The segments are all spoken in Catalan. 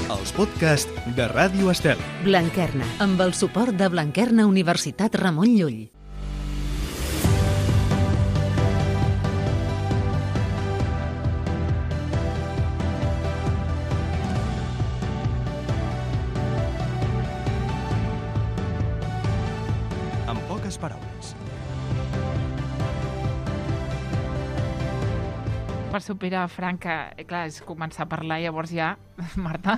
els podcasts de Ràdio Estel. Blanquerna, amb el suport de Blanquerna Universitat Ramon Llull. En poques paraules. Per superar, Frank, clar, és començar a parlar, llavors ja, Marta...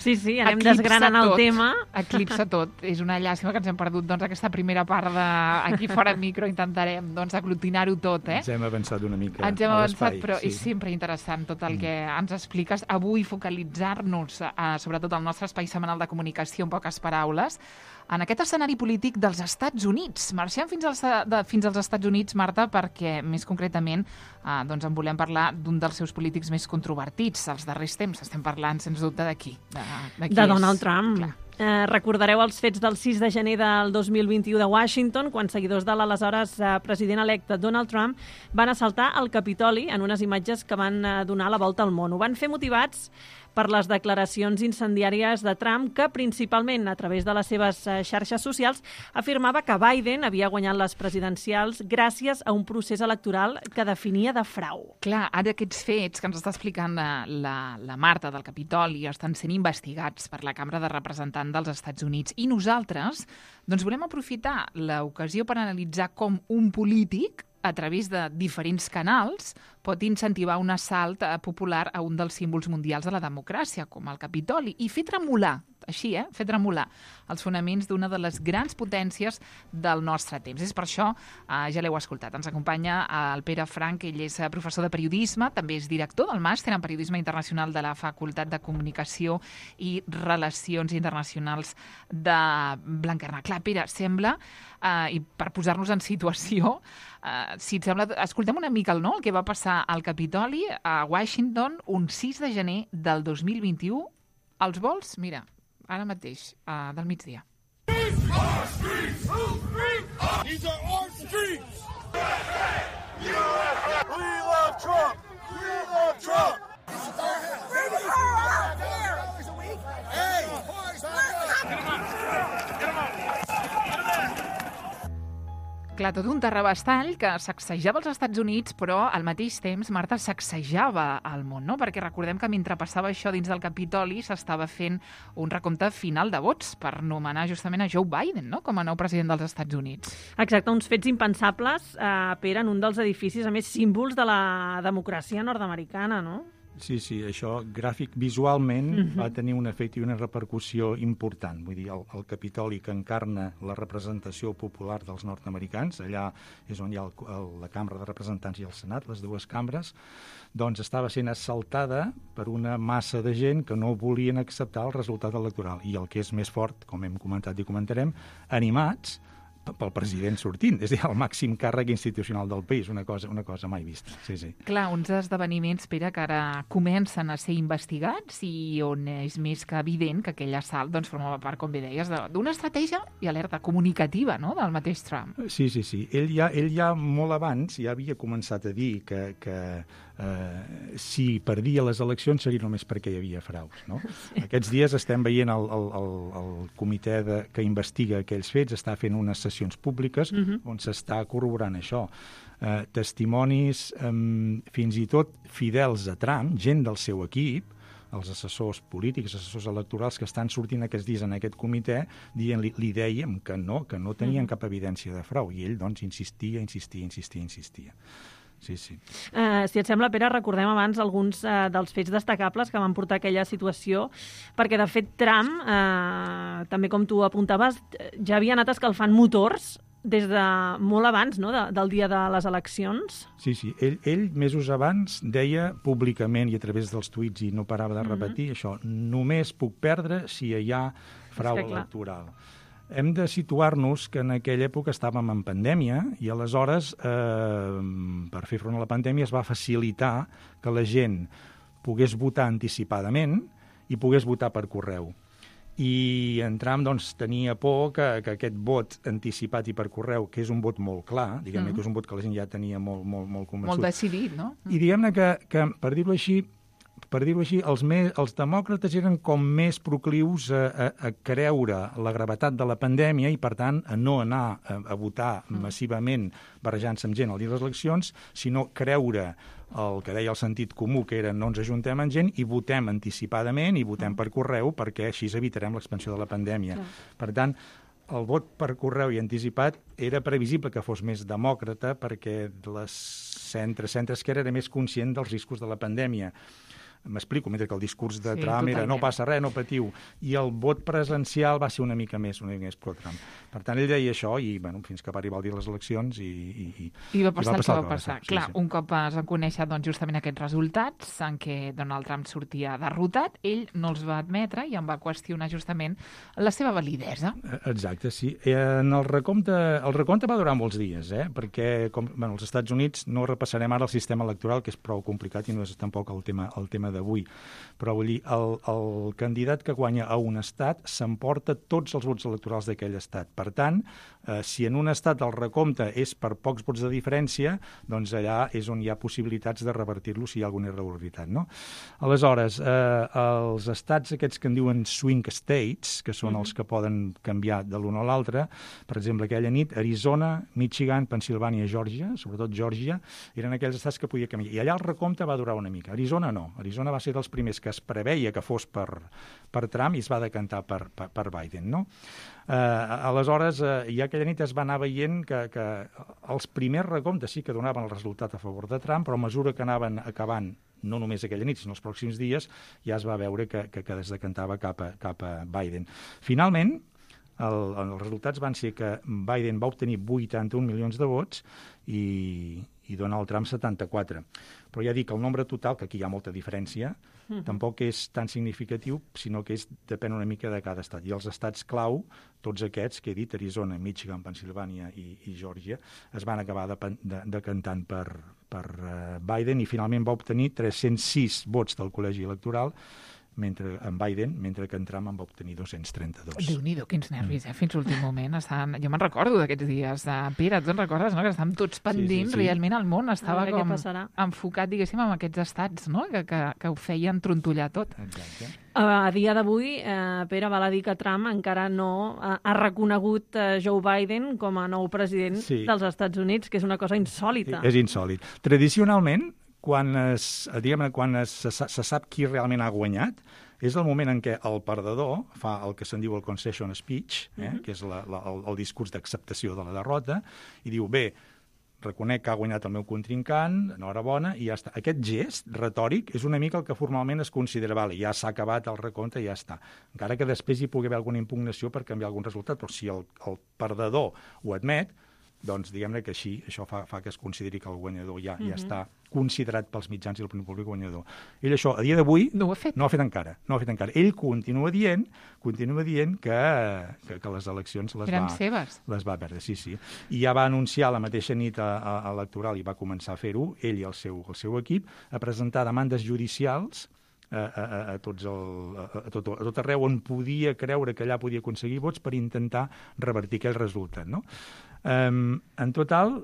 Sí, anem desgranant el tema. Eclipsa tot. És una llàstima que ens hem perdut aquesta primera part aquí fora del micro. Intentarem aglutinar-ho tot. Ens hem avançat una mica Ens hem avançat, però sí. És sempre interessant tot el que ens expliques. Avui focalitzar-nos, sobretot al nostre espai setmanal de comunicació, en poques paraules, en aquest escenari polític dels Estats Units. Marxem fins als Estats Units, Marta, perquè més concretament en volem parlar d'un dels seus polítics més controvertits als darrers temps. Estem parlant, sens dubte, d'aquí. De Donald Trump. Recordareu els fets del 6 de gener del 2021 de Washington, quan seguidors de l'aleshores president electe Donald Trump van assaltar el Capitoli en unes imatges que van donar la volta al món. Ho van fer motivats per les declaracions incendiàries de Trump, que principalment a través de les seves xarxes socials afirmava que Biden havia guanyat les presidencials gràcies a un procés electoral que definia de frau. Clar, ara aquests fets que ens està explicant la Marta del Capitoli estan sent investigats per la Cambra de Representants dels Estats Units i nosaltres volem aprofitar l'ocasió per analitzar com un polític a través de diferents canals, pot incentivar un assalt popular a un dels símbols mundials de la democràcia, com el Capitoli, i fer tremolar, fer tremolar els fonaments d'una de les grans potències del nostre temps. És per això, ja l'heu escoltat, ens acompanya el Pere Frank, ell és professor de periodisme, també és director del màster en periodisme internacional de la Facultat de Comunicació i Relacions Internacionals de Blanquerna. Clar, Pere, sembla, i per posar-nos en situació, si et sembla, escoltem una mica el que va passar al Capitoli a Washington un 6 de gener del 2021. Els vols, mira, ara mateix, del migdia. These are streets! These are our streets! USA! We love Trump! We love Trump! Hey! Get him up! Clar, tot un terrabastall que sacsejava els Estats Units, però al mateix temps, Marta, sacsejava el món, no? Perquè recordem que mentre passava això dins del Capitoli s'estava fent un recompte final de vots per nomenar justament a Joe Biden, no?, com a nou president dels Estats Units. Exacte, uns fets impensables, Pere, en un dels edificis, a més, símbols de la democràcia nord-americana, no? Sí, això gràfic visualment va tenir un efecte i una repercussió important. Vull dir, el Capitoli, que encarna la representació popular dels nord-americans, allà és on hi ha la Cambra de Representants i el Senat, les dues cambres, doncs estava sent assaltada per una massa de gent que no volien acceptar el resultat electoral. I el que és més fort, com hem comentat i comentarem, animats pel president sortint, és a dir, el màxim càrrec institucional del país, una cosa mai vista. Sí. Clar, uns esdeveniments, Pere, que ara comencen a ser investigats i on és més que evident que aquell assalt formava part, com bé deies, d'una estratègia i alerta comunicativa, no?, del mateix Trump. Sí. Ell ja molt abans ja havia començat a dir que si perdia les eleccions seria només perquè hi havia fraus, no? Sí. Aquests dies estem veient el comitè que investiga aquells fets, està fent unes sessions públiques on s'està corroborant això. Testimonis fins i tot fidels a Trump, gent del seu equip, els assessors polítics, assessors electorals que estan sortint aquests dies en aquest comitè, li dèiem que no tenien cap evidència de frau, i ell doncs insistia. Sí. Si et sembla, Pere, recordem abans alguns dels fets destacables que van portar a aquella situació, perquè, de fet, Trump, també com tu apuntaves, ja havia anat escalfant motors des de molt abans, no?, del dia de les eleccions. Sí. Ell mesos abans deia públicament i a través dels tuits, i no parava de repetir això, només puc perdre si hi ha frau electoral. Hem de situar-nos que en aquella època estàvem en pandèmia i aleshores, per fer front a la pandèmia, es va facilitar que la gent pogués votar anticipadament i pogués votar per correu. I en Trump tenia por que aquest vot anticipat i per correu, que és un vot molt clar, diguem-ne que és un vot que la gent ja tenia molt convençut. Molt decidit, no? I diguem-ne que, per dir-ho així, per dir-ho així, els demòcrates eren com més proclius a creure la gravetat de la pandèmia i, per tant, a no anar a votar massivament barrejant-se amb gent al dia de les eleccions, sinó creure el que deia el sentit comú, que era no ens ajuntem amb gent i votem anticipadament i votem per correu perquè així evitarem l'expansió de la pandèmia. Per tant, el vot per correu i anticipat era previsible que fos més demòcrata perquè centre-esquerra era més conscient dels riscos de la pandèmia. M'explico, mentre que el discurs de Trump era no passa res, no patiu, i el vot presencial va ser una mica més pro-Trump. Per tant, ell deia això i, fins que va arribar el dia de les eleccions I va passar el que va passar. Clar, un cop es van conèixer justament aquests resultats en què Donald Trump sortia derrotat, ell no els va admetre i en va qüestionar justament la seva validesa. Exacte, sí. El recompte va durar molts dies, perquè als Estats Units no repassarem ara el sistema electoral, que és prou complicat i no és tampoc el tema d'avui, però vull dir, el candidat que guanya a un estat s'emporta tots els vots electorals d'aquell estat. Per tant, si en un estat el recompte és per pocs vots de diferència, doncs allà és on hi ha possibilitats de revertir-lo si hi ha alguna irregularitat, no? Aleshores, els estats aquests que en diuen swing states, que són els que poden canviar de l'un a l'altre, per exemple, aquella nit, Arizona, Michigan, Pensilvània, Geòrgia, sobretot Geòrgia, eren aquells estats que podia canviar. I allà el recompte va durar una mica. Arizona no. Arizona va ser dels primers que es preveia que fos per Trump i es va decantar per Biden, no? Aleshores, ja aquella nit es va anar veient que els primers recomptes sí que donaven el resultat a favor de Trump, però a mesura que anaven acabant, no només aquella nit, sinó els pròxims dies, ja es va veure que es decantava cap a Biden. Finalment, els resultats van ser que Biden va obtenir 81 milions de vots i Donald Trump 74. Però ja dic, el nombre total, que aquí hi ha molta diferència, tampoc és tan significatiu, sinó que depèn una mica de cada estat. I els estats clau, tots aquests que he dit, Arizona, Michigan, Pensilvània i Geòrgia, es van acabar decantant per Biden i finalment va obtenir 306 vots del col·legi electoral en Biden, mentre que en Trump en va obtenir 232. Déu-n'hi-do, quins nervis, fins l'últim moment. Jo me'n recordo d'aquests dies. Pere, tu en recordes, no? Que estàvem tots pendents, sí. Realment el món estava com enfocat, diguéssim, en aquests estats, no? Que ho feien trontollar tot. Exacte. A dia d'avui, Pere, val a dir que Trump encara no ha reconegut Joe Biden com a nou president dels Estats Units, que és una cosa insòlita. És insòlit. Tradicionalment, quan se sap qui realment ha guanyat, és el moment en què el perdedor fa el que se'n diu el concession speech, que és el discurs d'acceptació de la derrota, i diu, bé, reconec que ha guanyat el meu contrincant, enhorabona, i ja està. Aquest gest retòric és una mica el que formalment es considera, vale, ja s'ha acabat el recompte i ja està. Encara que després hi pugui haver alguna impugnació per canviar algun resultat, però si el perdedor ho admet, doncs diguem-ne que així, això fa que es consideri que el guanyador ja està considerat pels mitjans i l'opinió pública guanyador. Ell això, a dia d'avui, no ho ha fet encara. Ell continua dient que les eleccions les va perdre, sí. I ja va anunciar la mateixa nit electoral i va començar a fer-ho, ell i el seu equip, a presentar demandes judicials a tot arreu on podia creure que allà podia aconseguir vots per intentar revertir aquell resultat, no? En total,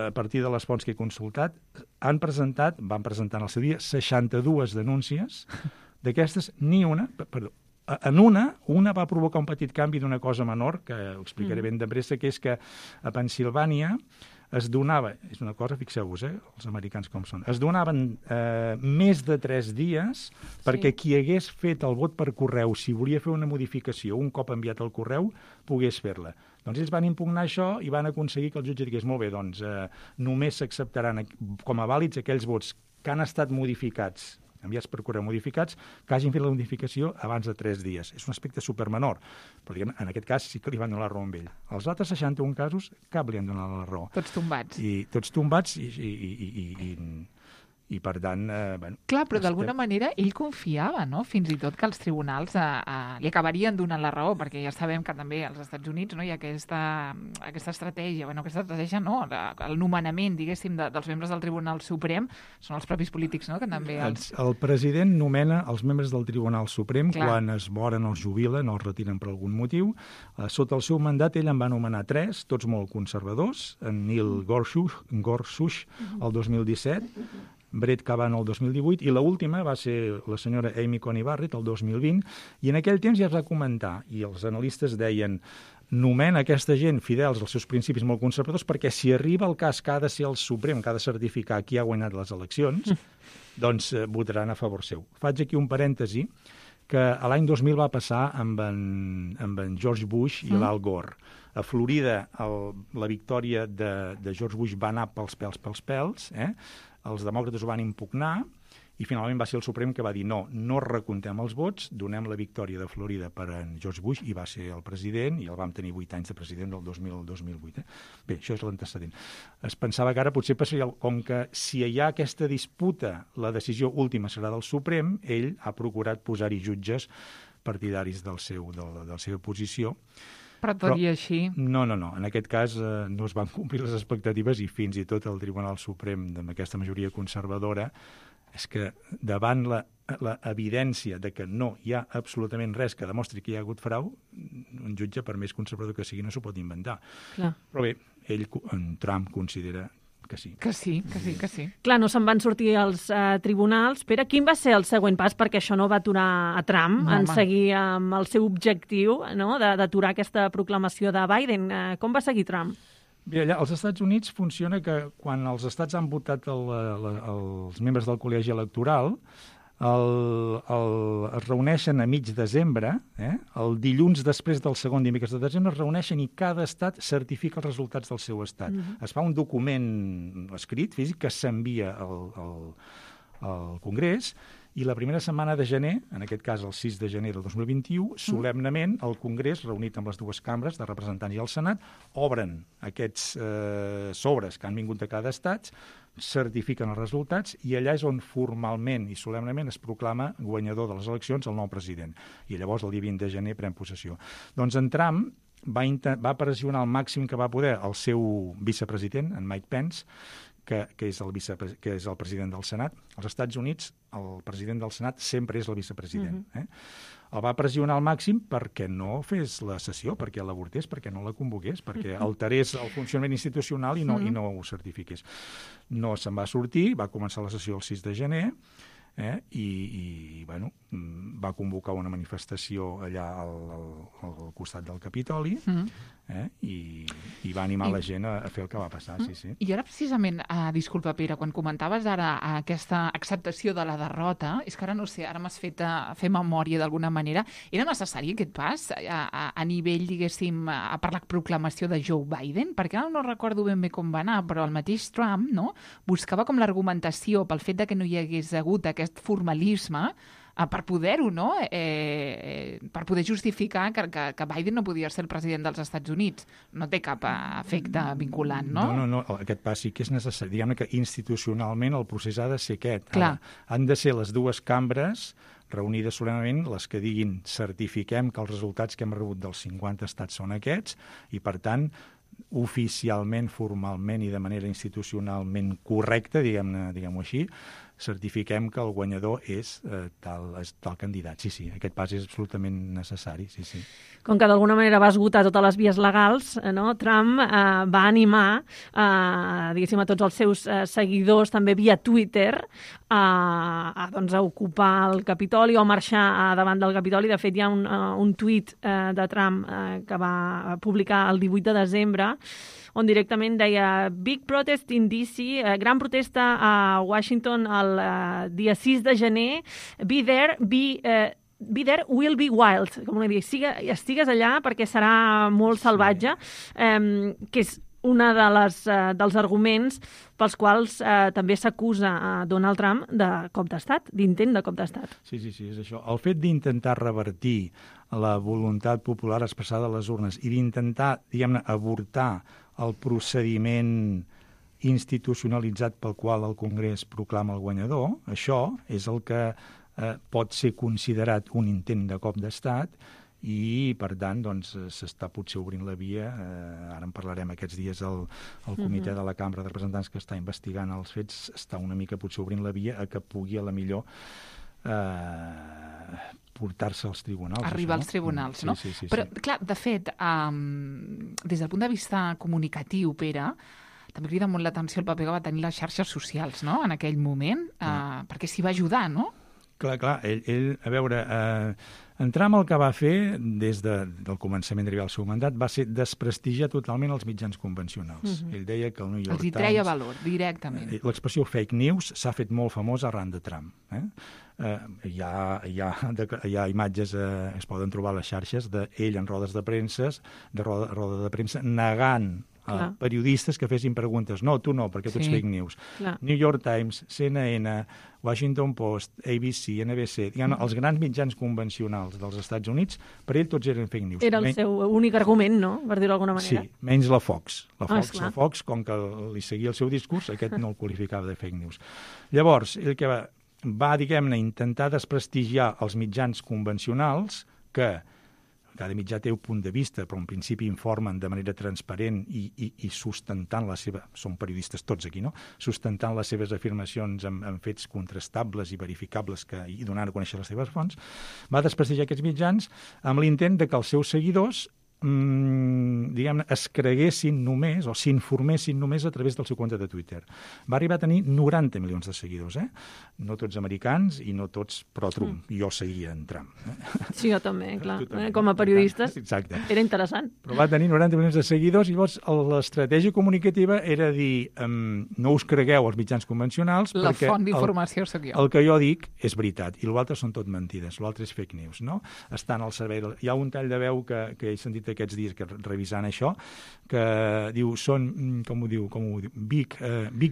a partir de les fonts que he consultat, van presentar en el seu dia 62 denúncies. D'aquestes, ni una... En una va provocar un petit canvi d'una cosa menor, que ho explicaré ben de pressa, que és que a Pensilvània es donava, és una cosa, fixeu-vos, els americans com són, es donaven més de 3 dies perquè qui hagués fet el vot per correu, si volia fer una modificació un cop enviat el correu, pogués fer-la. Doncs ells van impugnar això i van aconseguir que el jutge digués, molt bé, doncs només s'acceptaran com a vàlids aquells vots que han estat modificats, enviats per correu modificats, que hagin fet la modificació abans de 3 dies. És un aspecte supermenor, però diguem, en aquest cas sí que li van donar la raó amb ell. Els altres 61 casos, cap li han donat la raó. Tots tombats. Tots tombats i per tant... Clar, però d'alguna manera ell confiava, no?, fins i tot que els tribunals li acabarien donant la raó, perquè ja sabem que també als Estats Units hi ha aquesta estratègia, no, el nomenament, diguéssim, dels membres del Tribunal Suprem són els propis polítics, no?, que també... El president nomena els membres del Tribunal Suprem quan es moren o es jubilen o els retiren per algun motiu. Sota el seu mandat ell en va nomenar 3, tots molt conservadors, en Neil Gorsuch el 2017, Brett Kavanaugh el 2018, i l'última va ser la senyora Amy Coney Barrett el 2020, i en aquell temps ja es va comentar, i els analistes deien nomena aquesta gent fidels als seus principis molt conservadors perquè si arriba el cas que ha de ser el Suprem, que ha de certificar qui ha guanyat les eleccions, doncs votaran a favor seu. Faig aquí un parèntesi que l'any 2000 va passar amb en George Bush i l'Al Gore. A Florida la victòria de George Bush va anar pels pèls, els demòcrates ho van impugnar, i finalment va ser el Suprem que va dir no recomptem els vots, donem la victòria de Florida per a George Bush, i va ser el president, i el vam tenir 8 anys de president del 2000 al 2008. Bé, això és l'antecedent. Es pensava que ara potser passaria, com que si hi ha aquesta disputa, la decisió última serà del Suprem, ell ha procurat posar-hi jutges partidaris de la seva posició. Però tot i així... No. En aquest cas no es van complir les expectatives i fins i tot el Tribunal Suprem, amb aquesta majoria conservadora, és que davant la evidència de que no hi ha absolutament res que demostri que hi ha hagut frau, un jutge, per més conservador que sigui, no s'ho pot inventar. Clar. Però bé, en Trump considera que sí. Que sí. Clar, no se'n van sortir els tribunals. Pere, quin va ser el següent pas? Perquè això no va aturar a Trump en seguir amb el seu objectiu, no?, d'aturar aquesta proclamació de Biden. Com va seguir Trump? Bé, allà als Estats Units funciona que quan els estats han votat els membres del col·legi electoral, es reuneixen a mig desembre, el dilluns després del segon dimecres de desembre es reuneixen i cada estat certifica els resultats del seu estat. Es fa un document escrit, físic, que s'envia al Congrés, i la primera setmana de gener, en aquest cas el 6 de gener del 2021, solemnement el Congrés, reunit amb les dues cambres de representants i el Senat, obren aquests sobres que han vingut de cada estat, certifiquen els resultats i allà és on formalment i solemnement es proclama guanyador de les eleccions el nou president. I llavors el dia 20 de gener pren possessió. Doncs en Trump va pressionar al màxim que va poder el seu vicepresident, en Mike Pence, que és el president del Senat. Als Estats Units, el president del Senat sempre és el vicepresident. El va pressionar al màxim perquè no fes la sessió, perquè l'avortés, perquè no la convoqués, perquè alterés el funcionament institucional i no ho certifiqués. No se'n va sortir, va començar la sessió el 6 de gener, i va convocar una manifestació allà al costat del Capitoli, i va animar la gent a fer el que va passar, sí. I ara precisament, disculpa Pere, quan comentaves ara aquesta acceptació de la derrota, és que ara no sé, ara m'has fet fer memòria d'alguna manera, era necessari aquest pas a nivell, diguéssim, per la proclamació de Joe Biden? Perquè ara no recordo ben bé com va anar, però el mateix Trump, no?, buscava com l'argumentació pel fet de que no hi hagués hagut aquest formalisme per poder-ho, no?, per poder justificar que Biden no podia ser el president dels Estats Units. No té cap efecte vinculant, no? No, aquest pas sí que és necessari. Diguem-ne que institucionalment el procés ha de ser aquest. Clar. Han de ser les dues cambres reunides solemnement les que diguin certifiquem que els resultats que hem rebut dels 50 estats són aquests i, per tant, oficialment, formalment i de manera institucionalment correcta, diguem-ho així, certifiquem que el guanyador és tal candidat. Sí, aquest pas és absolutament necessari, sí. Com que d'alguna manera va esgotar totes les vies legals, no? Trump va animar diguéssim, a tots els seus seguidors, també via Twitter, a ocupar el Capitoli o a marxar davant del Capitoli. De fet, hi ha un tuit de Trump que va publicar el 18 de desembre, on directament deia Big protest in D.C., gran protesta a Washington el dia 6 de gener, be there, will be wild, com dir, estigues allà perquè serà molt salvatge, que és una dels arguments pels quals també s'acusa a Donald Trump de cop d'estat, d'intent de cop d'estat. Sí, és això. El fet d'intentar revertir la voluntat popular expressada a les urnes i d'intentar, diguem-ne, avortar el procediment institucionalitzat pel qual el Congrés proclama el guanyador, això és el que pot ser considerat un intent de cop d'estat i, per tant, doncs, s'està potser obrint la via, ara en parlarem aquests dies, el comitè de la Cambra de Representants que està investigant els fets, està una mica potser obrint la via a que pugui a la millor portar-se als tribunals. Arribar als tribunals, no? Sí. Però, clar, de fet, des del punt de vista comunicatiu, Pere, també crida molt l'atenció el paper que va tenir les xarxes socials, no?, en aquell moment, perquè s'hi va ajudar, no? Clar, ell a veure, Trump el que va fer des del començament d'arribar al seu mandat va ser desprestigiar totalment els mitjans convencionals. Ell deia que el New York Times... Els hi treia valor, directament. L'expressió fake news s'ha fet molt famosa arran de Trump. Hi ha imatges, es poden trobar a les xarxes, d'ell en rodes de premsa, negant a periodistes que fessin preguntes. No, tu no, perquè tu ets fake news. New York Times, CNN, Washington Post, ABC, NBC, els grans mitjans convencionals dels Estats Units, per ell tots eren fake news. Era el seu únic argument, no?, per dir-ho d'alguna manera. Sí, menys la Fox. La Fox, com que li seguia el seu discurs, aquest no el qualificava de fake news. Llavors, ell que va diguem-ne, intentar desprestigiar els mitjans convencionals que cada mitjà té un punt de vista, però en principi informen de manera transparent i sustentant la seva... Són periodistes tots aquí, no? Sustentant les seves afirmacions amb fets contrastables i verificables i donant a conèixer les seves fonts, va desprestigiar aquests mitjans amb l'intent de que els seus seguidors diguem-ne, es creguessin només o s'informessin només a través del seu compte de Twitter. Va arribar a tenir 90 milions de seguidors, no tots americans i no tots pro-Trump. Jo seguia en Trump. Sí, jo també, clar. Com a periodistes era interessant. Però va tenir 90 milions de seguidors i llavors l'estratègia comunicativa era dir no us cregueu els mitjans convencionals la perquè font d'informació sóc jo. El que jo dic és veritat i l'altre són tot mentides, l'altre és fake news, no? Estan al servei... Hi ha un tall de veu que he sentit aquests dies que revisant això, que diu, són, com ho diu, big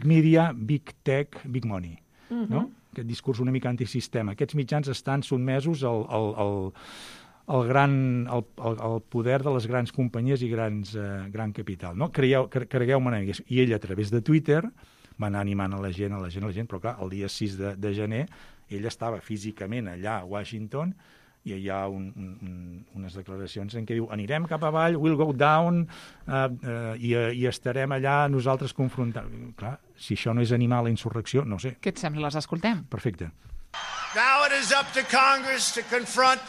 media, big tech, big money. No? Aquest discurs una mica antisistema. Aquests mitjans estan sotmesos al poder de les grans companyies i gran capital. No? Cregueu-me, i ell a través de Twitter va anar animant a la gent, però clar, el dia 6 de gener ell estava físicament allà a Washington i hi ha unes declaracions en què diu anirem cap avall, we'll go down, i estarem allà nosaltres confrontant. Clar, si això no és animar la insurrecció, no sé. Què et sembla? Les escoltem? Perfecte. Now it is up to Congress to confront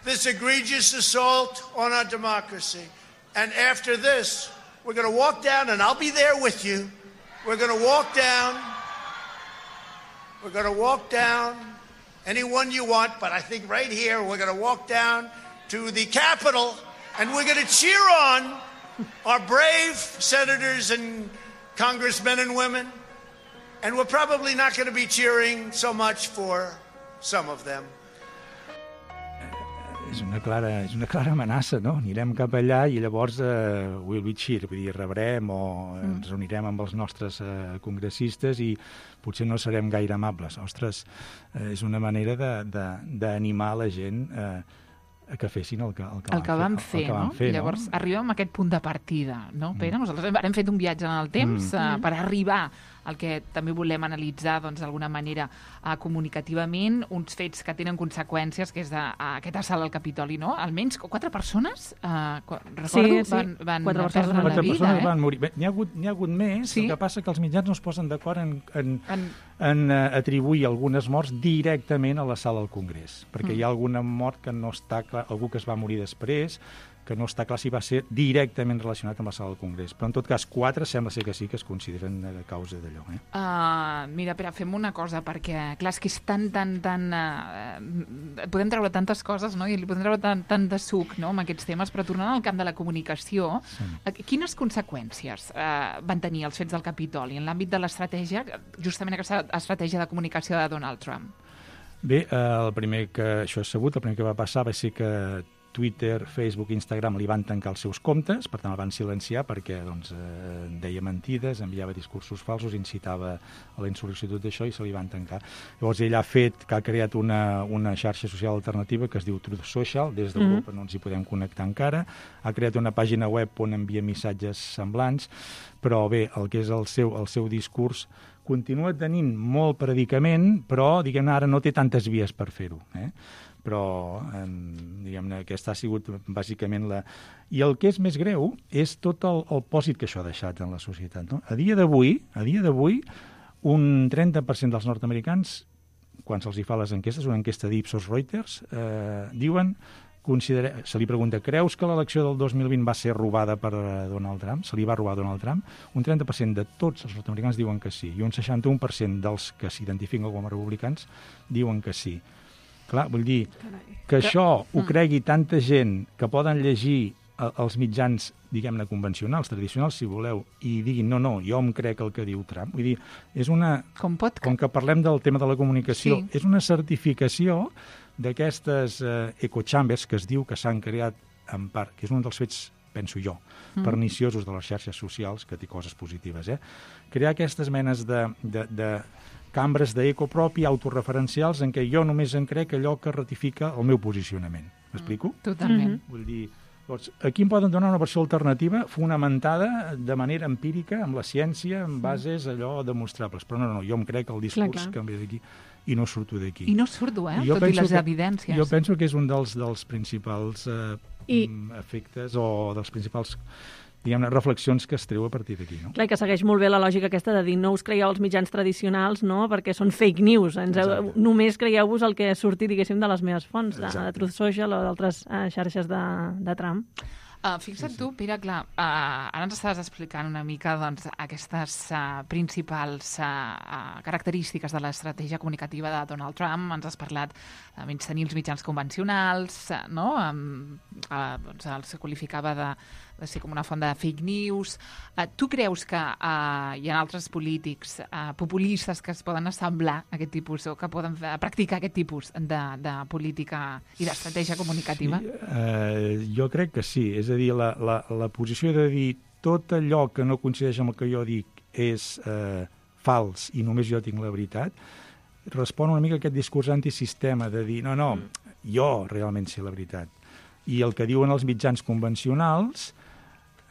this egregious assault on our democracy. And after this, we're going to walk down, and I'll be there with you. We're going to walk down. We're going to walk down anyone you want, but I think right here we're going to walk down to the Capitol and we're going to cheer on our brave senators and congressmen and women, and we're probably not going to be cheering so much for some of them. És una clara amenaça, no? Anirem cap allà i llavors we'll be cheer, vull dir, rebrem o ens reunirem amb els nostres congressistes i potser no serem gaire amables. Ostres, és una manera d'animar la gent que fessin el que van fer, no? Llavors arribem a aquest punt de partida, no, Pere? Nosaltres hem fet un viatge en el temps per arribar al que també volem analitzar d'alguna manera comunicativament, uns fets que tenen conseqüències, que és aquest assalt al Capitoli, no? Almenys 4 persones, recordo, van perdre la vida. 4 persones van morir. N'hi ha hagut més, el que passa que els mitjans no es posen d'acord en atribuir algunes morts directament a la sala del Congrés, perquè hi ha alguna mort que no està clar, algú que es va morir després, que no està clar si va ser directament relacionat amb la sala del Congrés. Però, en tot cas, 4 sembla ser que sí que es consideren a causa d'allò. Mira, Pere, fem una cosa, perquè, clar, és que és tan... podem treure tantes coses, no?, i li podem treure tant de suc, no?, amb aquests temes, però tornant al camp de la comunicació, quines conseqüències van tenir els fets del Capitoli en l'àmbit de l'estratègia, justament aquesta estratègia de comunicació de Donald Trump? Bé, el primer que això és sabut, el primer que va passar va ser que Twitter, Facebook, Instagram li van tancar els seus comptes, per tant el van silenciar perquè deia mentides, enviava discursos falsos, incitava a la insurrecció, tot això, i se li van tancar. Llavors ell ha creat una xarxa social alternativa que es diu Truth Social, des d'Europa no ens hi podem connectar encara, ha creat una pàgina web on envia missatges semblants, però bé, el que és el seu discurs continua tenint molt predicament, però diguem-ne ara no té tantes vies per fer-ho, però diguem-ne aquesta ha sigut bàsicament la... I el que és més greu és tot el pòsit que això ha deixat en la societat, no? A dia d'avui, un 30% dels nord-americans, quan se'ls hi fa les enquestes, una enquesta d'Ipsos Reuters, diuen se li pregunta, creus que l'elecció del 2020 va ser robada per Donald Trump? Se li va robar Donald Trump? Un 30% de tots els nord-americans diuen que sí, i un 61% dels que s'identifiquen com a republicans diuen que sí. Clar, vull dir que això ho cregui tanta gent que poden llegir els mitjans, diguem-ne, convencionals, tradicionals, si voleu, i diguin, no, jo em crec el que diu Trump. Vull dir, és una... Com que parlem del tema de la comunicació, sí. És una certificació d'aquestes echo chambers que es diu que s'han creat en part, que és un dels fets, penso jo, perniciosos de les xarxes socials, que té coses positives, crear aquestes menes de cambres d'eco propi, autorreferencials, en què jo només en crec allò que ratifica el meu posicionament. M'explico? Totalment. Vull dir, doncs, aquí em poden donar una versió alternativa fonamentada de manera empírica, amb la ciència, amb bases allò demostrables. Però no, jo em crec el discurs que em ve d'aquí i no surto d'aquí. I no surto, tot i les evidències. Jo penso que és un dels principals efectes o dels principals, diguem-ne, reflexions que es treu a partir d'aquí, no? Clar, que segueix molt bé la lògica aquesta de dir no us creieu els mitjans tradicionals, no?, perquè són fake news. Només creieu-vos el que surti, diguéssim, de les meves fonts, de Truth Social o d'altres xarxes de Trump. Fixa't tu, Pere, clar, ara ens estaves explicant una mica doncs, aquestes principals característiques de l'estratègia comunicativa de Donald Trump. Ens has parlat de menystenir els mitjans convencionals, no? Doncs els qualificava de ser com una font de fake news. Tu creus que hi ha altres polítics populistes que es poden assemblar a aquest tipus o que poden practicar aquest tipus de política i d'estratègia comunicativa? Sí, jo crec que sí. És a dir, la posició de dir tot allò que no coincideix amb el que jo dic és fals i només jo tinc la veritat, respon una mica a aquest discurs antisistema de dir no, jo realment sé la veritat. I el que diuen els mitjans convencionals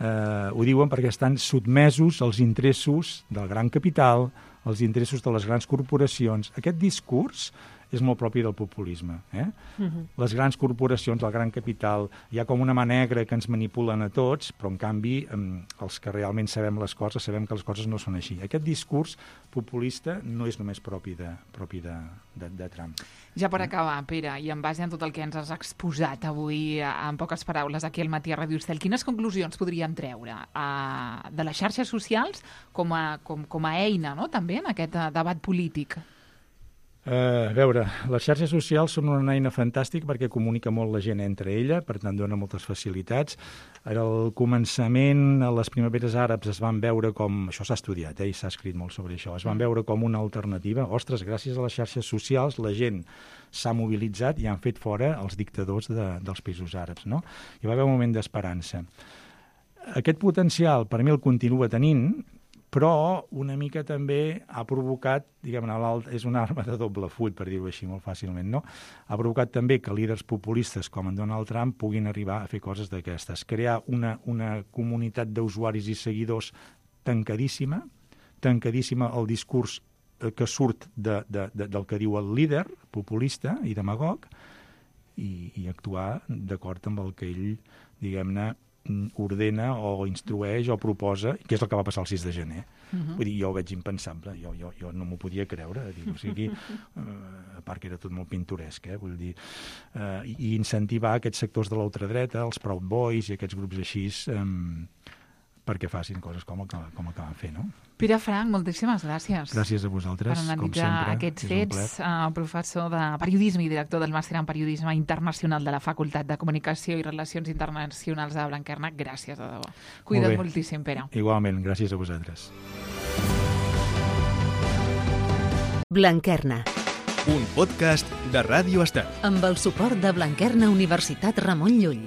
ho diuen perquè estan sotmesos als interessos del gran capital, als interessos de les grans corporacions. Aquest discurs és molt propi del populisme. Les grans corporacions, el gran capital, hi ha com una mà negra que ens manipulen a tots, però en canvi els que realment sabem les coses, sabem que les coses no són així. Aquest discurs populista no és només propi de Trump. Ja per acabar, Pere, i en base a tot el que ens has exposat avui en poques paraules aquí al Matí a Ràdio Estel, quines conclusions podríem treure de les xarxes socials com a eina, no?, també en aquest debat polític? A veure, les xarxes socials són una eina fantàstica perquè comunica molt la gent entre ella, per tant dona moltes facilitats. Al començament, a les primaveres àrabs es van veure com, això s'ha estudiat i s'ha escrit molt sobre això, es van veure com una alternativa. Ostres, gràcies a les xarxes socials la gent s'ha mobilitzat i han fet fora els dictadors dels països àrabs, no? Hi va haver un moment d'esperança. Aquest potencial per mi el continua tenint, però una mica també ha provocat, diguem-ne, és una arma de doble full, per dir-ho així molt fàcilment, no? Ha provocat també que líders populistes com en Donald Trump puguin arribar a fer coses d'aquestes. Crear una comunitat d'usuaris i seguidors tancadíssima el discurs que surt del que diu el líder populista i demagog i actuar d'acord amb el que ell, diguem-ne, ordena o instrueix o proposa, que és el que va passar el 6 de gener. Vull dir, jo ho veig impensable, jo no m'ho podia creure. O sigui, a part que era tot molt pintoresc, vull dir, i incentivar aquests sectors de l'ultradreta, els Proud Boys i aquests grups així, perquè facin coses com el que van fer, no? Pere Frank, moltíssimes gràcies. Gràcies a vosaltres, com sempre. Per analitzar aquests fets, professor de periodisme i director del màster en periodisme internacional de la Facultat de Comunicació i Relacions Internacionals de Blanquerna. Gràcies, de debò. Cuida't moltíssim, Pere. Igualment, gràcies a vosaltres. Blanquerna. Un podcast de Ràdio Estel. Amb el suport de Blanquerna Universitat Ramon Llull.